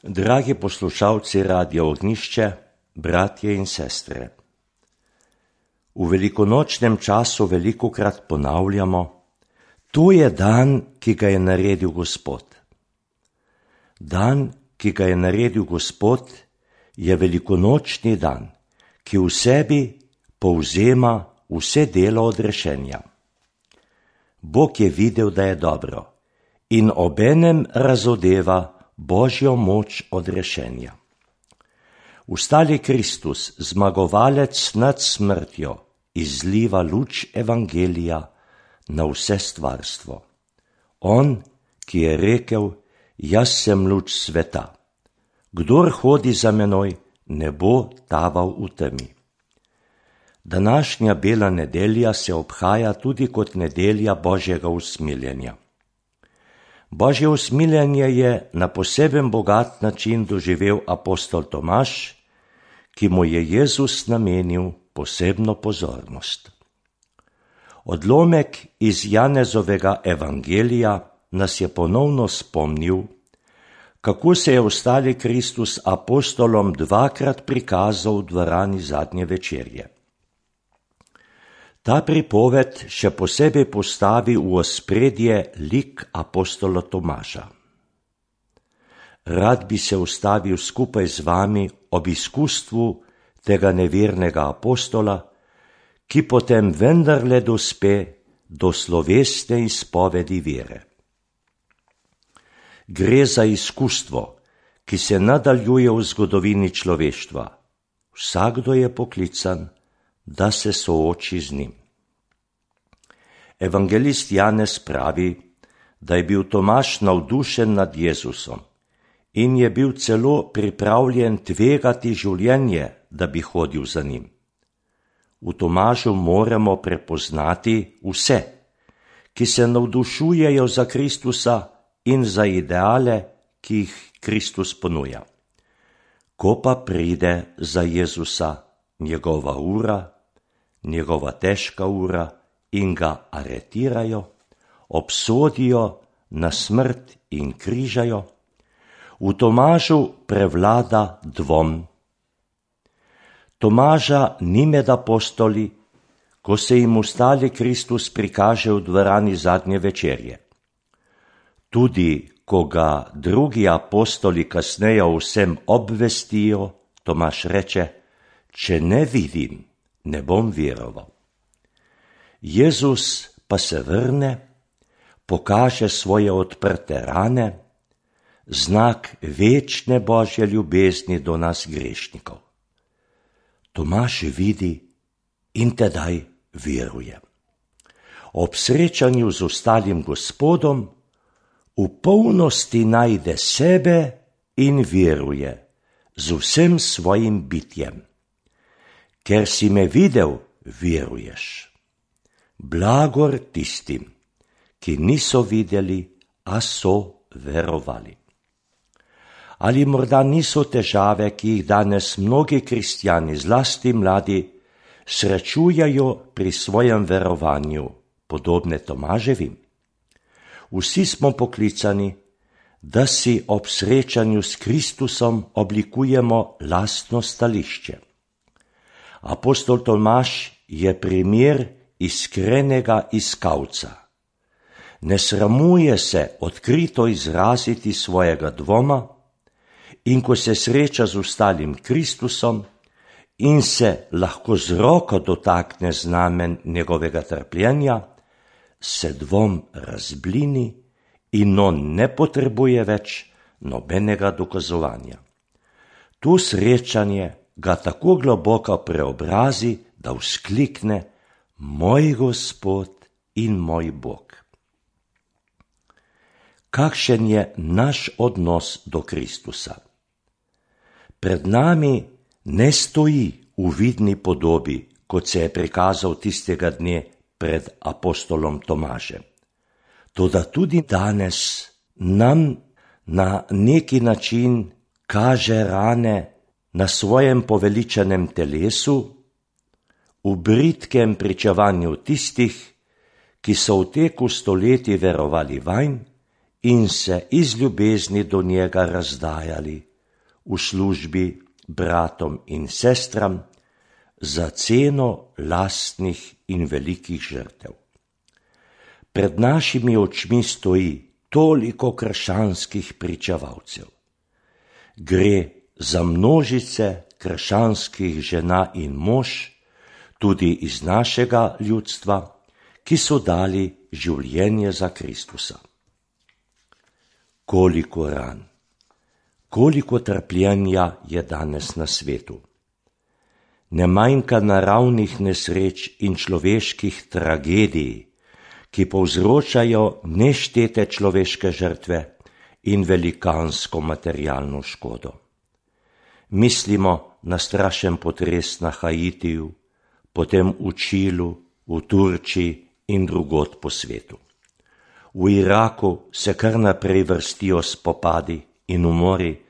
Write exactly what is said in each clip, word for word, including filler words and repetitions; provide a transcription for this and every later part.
Dragi poslušalci Radia Ognjišče, bratje in sestre. V velikonočnem času velikokrat ponavljamo, to je dan, ki ga je naredil Gospod. Dan, ki ga je naredil Gospod, je velikonočni dan, ki v sebi povzema vse delo odrešenja. Bog je videl, da je dobro, in obenem razodeva Božjo moč odrešenja. Vstali Kristus, zmagovalec nad smrtjo, izliva luč evangelija na vse stvarstvo. On, ki je rekel, jaz sem luč sveta. Kdor hodi za menoj, ne bo taval v temi. Današnja bela nedelja se obhaja tudi kot nedelja Božjega usmiljenja. Božje usmiljenje je na poseben bogat način doživel apostol Tomaž, ki mu je Jezus namenil posebno pozornost. Odlomek iz Janezovega evangelija nas je ponovno spomnil, kako se je vstali Kristus apostolom dvakrat prikazal v dvorani zadnje večerje. Ta pripoved še posebej postavi v ospredje lik apostola Tomaža. Rad bi se ustavil skupaj z vami ob izkustvu tega nevernega apostola, ki potem vendarle dospe do slovesne izpovedi vere. Gre za izkustvo, ki se nadaljuje v zgodovini človeštva. Vsakdo je poklican, da se sooči z njim. Evangelist Janez pravi, da je bil Tomaž navdušen nad Jezusom in je bil celo pripravljen tvegati življenje, da bi hodil za njim. V Tomažu moramo prepoznati vse, ki se navdušujejo za Kristusa in za ideale, ki jih Kristus ponuja. Ko pa pride za Jezusa njegova ura, njegova težka ura in ga aretirajo, obsodijo na smrt in križajo, v Tomažu prevlada dvom. Tomaža ni med apostoli, ko se jim vstali Kristus prikaže v dvorani zadnje večerje. Tudi, ko ga drugi apostoli kasneje vsem obvestijo, Tomaž reče, če ne vidim, ne bom veroval. Jezus pa se vrne, pokaže svoje odprte rane, znak večne Božje ljubezni do nas grešnikov. Tomaž vidi in tedaj veruje. Ob srečanju z ostalim Gospodom v polnosti najde sebe in veruje z vsem svojim bitjem. Ker si me videl, veruješ. Blagor tistim, ki niso videli, a so verovali. Ali morda niso težave, ki jih danes mnogi kristjani, zlasti mladi, srečujejo pri svojem verovanju, podobne Tomaževim? Vsi smo poklicani, da si ob srečanju s Kristusom oblikujemo lastno stališče. Apostol Tomaž je primer iskrenega iskalca. Ne sramuje se odkrito izraziti svojega dvoma in ko se sreča z ostalim Kristusom in se lahko z roko dotakne znamen njegovega trpljenja, se dvom razblini in on ne potrebuje več nobenega dokazovanja. To srečanje ga tako globoko preobrazi, da vzklikne, moj Gospod in moj Bog. Kakšen je naš odnos do Kristusa? Pred nami ne stoji v vidni podobi, kot se je prikazal tistega dne pred apostolom Tomažem. Toda tudi danes nam na neki način kaže rane na svojem poveličanem telesu, v bridkem pričevanju tistih, ki so v teku stoletij verovali vanj in se iz ljubezni do njega razdajali v službi bratom in sestram za ceno lastnih in velikih žrtev. Pred našimi očmi stoji toliko krščanskih pričevalcev. Gre za množice krščanskih žena in mož, tudi iz našega ljudstva, ki so dali življenje za Kristusa. Koliko ran, koliko trpljenja je danes na svetu. Ne manjka naravnih nesreč in človeških tragedij, ki povzročajo neštete človeške žrtve in velikansko materialno škodo. Mislimo na strašen potres na Haitiju, potem v Čilu, v Turčiji in drugod po svetu. V Iraku se kar naprej vrstijo spopadi in umori,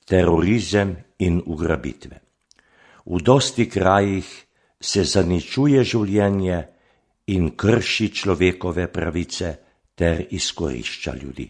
terorizem in ugrabitve. V dosti krajih se zaničuje življenje in krši človekove pravice ter izkorišča ljudi.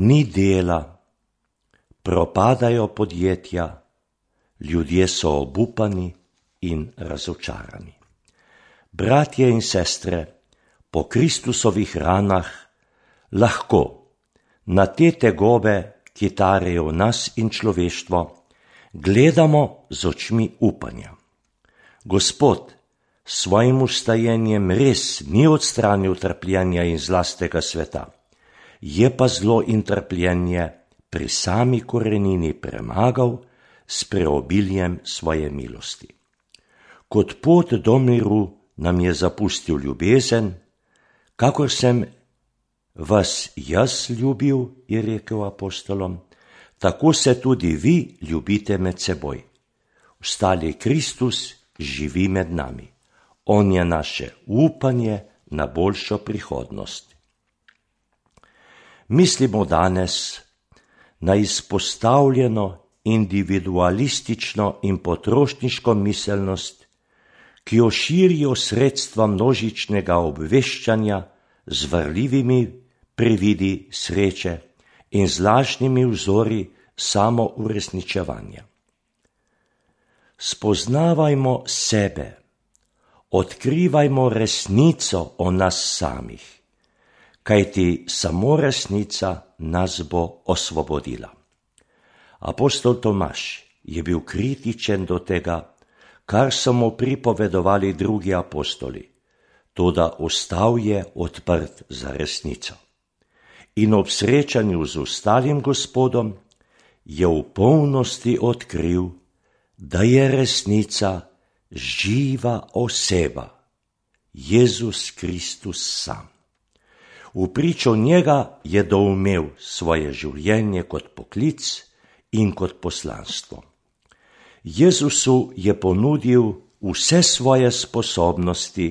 Ni dela, propadajo podjetja, ljudje so obupani in razočarani. Bratje in sestre, po Kristusovih ranah lahko na te tegobe, ki tarejo nas in človeštvo, gledamo z očmi upanja. Gospod s svojim ustajenjem res ni odstranil trpljenja in zlastega sveta, je pa zlo in trpljenje pri sami korenini premagal s preobiljem svoje milosti. Kot pot do miru nam je zapustil ljubezen, kakor sem vas jaz ljubil, je rekel apostolom, tako se tudi vi ljubite med seboj. Ostali Kristus živi med nami. On je naše upanje na boljšo prihodnost. Mislimo danes na izpostavljeno individualistično in potrošniško miselnost, ki jo širijo sredstva množičnega obveščanja z varljivimi prividi sreče in z lažnimi vzori samouresničevanja. Spoznavajmo sebe, odkrivajmo resnico o nas samih, kajti samo resnica nas bo osvobodila. Apostol Tomaž je bil kritičen do tega, kar so mu pripovedovali drugi apostoli, toda ostal je odprt za resnico. In ob srečanju z ostalim Gospodom je v polnosti odkril, da je resnica živa oseba, Jezus Kristus sam. V pričo njega je doumel svoje življenje kot poklic in kot poslanstvo. Jezusu je ponudil vse svoje sposobnosti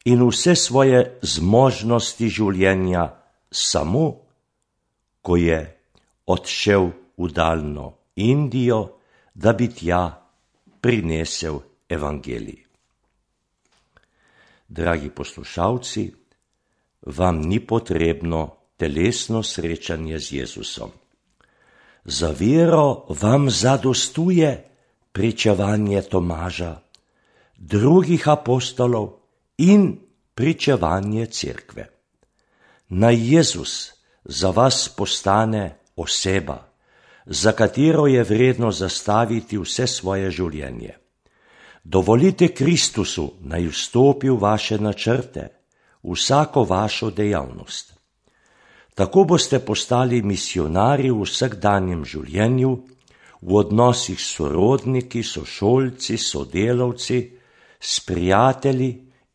in vse svoje zmožnosti življenja samo, ko je odšel v daljno Indijo, da bi tja prinesel evangelij. Dragi poslušalci, vam ni potrebno telesno srečanje z Jezusom. Za vero vam zadostuje pričevanje Tomaža, drugih apostolov in pričevanje cerkve. Naj Jezus za vas postane oseba, za katero je vredno zastaviti vse svoje življenje. Dovolite Kristusu, naj vstopi v vaše načrte, vsako vašo dejavnost. Tako boste postali misionarji v vsakdanjem življenju, v odnosih s sorodniki, sošolci, sodelavci, s prijatelji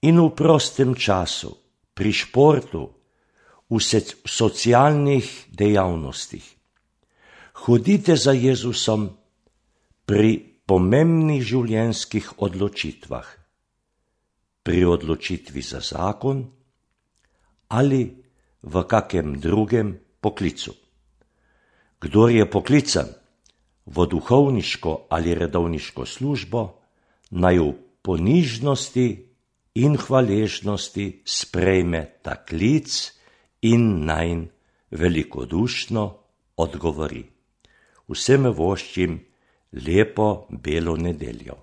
in v prostem času, pri športu, v socialnih dejavnostih. Hodite za Jezusom pri pomembnih življenjskih odločitvah, pri odločitvi za zakon ali v kakem drugem poklicu. Kdor je poklican v duhovniško ali redovniško službo, naj v ponižnosti in hvaležnosti sprejme ta klic in nanj velikodušno odgovori. vsem voščim lepo belo nedeljo.